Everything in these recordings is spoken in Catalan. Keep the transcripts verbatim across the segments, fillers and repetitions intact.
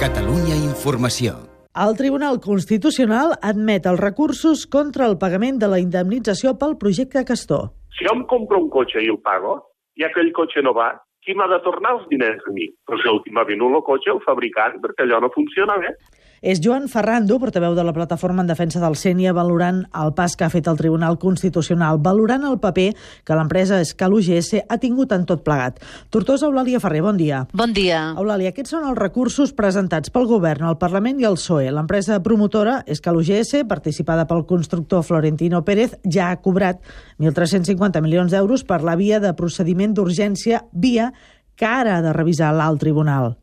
Catalunya Informació. El Tribunal Constitucional admet els recursos contra el pagament de la indemnització pel projecte Castor. Si jo em compro un cotxe i el pago, i aquell cotxe no va, qui m'ha de tornar els diners a mi? Però si el que m'ha venut el cotxe, el fabricant, perquè allò no funciona bé. És Joan Ferrando, portaveu de la Plataforma en Defensa del Sénia, valorant el pas que ha fet el Tribunal Constitucional, valorant el paper que l'empresa Escal U G S ha tingut en tot plegat. Tortosa, Eulàlia Ferrer, bon dia. Bon dia. Eulàlia, aquests són els recursos presentats pel Govern, el Parlament i el P S O E. L'empresa promotora Escal U G S, participada pel constructor Florentino Pérez, ja ha cobrat mil tres-cents cinquanta milions d'euros per la via de procediment d'urgència, via que ara ha de revisar l'alt tribunal.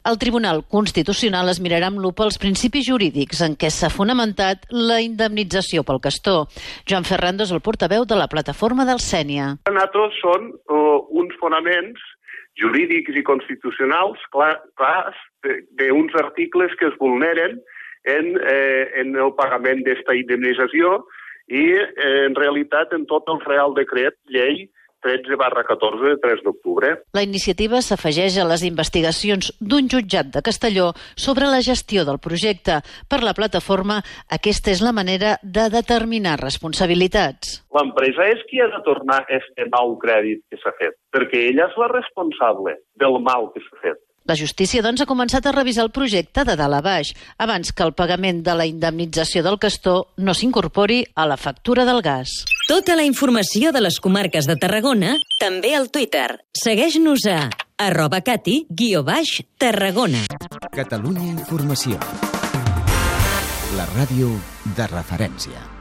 El Tribunal Constitucional es mirarà amb lupa els principis jurídics en què s'ha fonamentat la indemnització pel Castor. Joan Ferrando és el portaveu de la Plataforma del Sénia. Nosaltres són uh, uns fonaments jurídics i constitucionals clar, clars d'uns articles que es vulneren en, eh, en el pagament d'esta indemnització i eh, en realitat en tot el Real Decret Llei tretze barra catorze de tres d'octubre. La iniciativa s'afegeix a les investigacions d'un jutjat de Castelló sobre la gestió del projecte. Per la plataforma, aquesta és la manera de determinar responsabilitats. L'empresa és qui ha de tornar este mal crèdit que s'ha fet, perquè ella és la responsable del mal que s'ha fet. La justícia, doncs, ha començat a revisar el projecte de dalt a baix, abans que el pagament de la indemnització del Castor no s'incorpori a la factura del gas. Tota la informació de les comarques de Tarragona, també al Twitter. Segueix-nos a arroba cati guió baix Tarragona. Catalunya Informació. La ràdio de referència.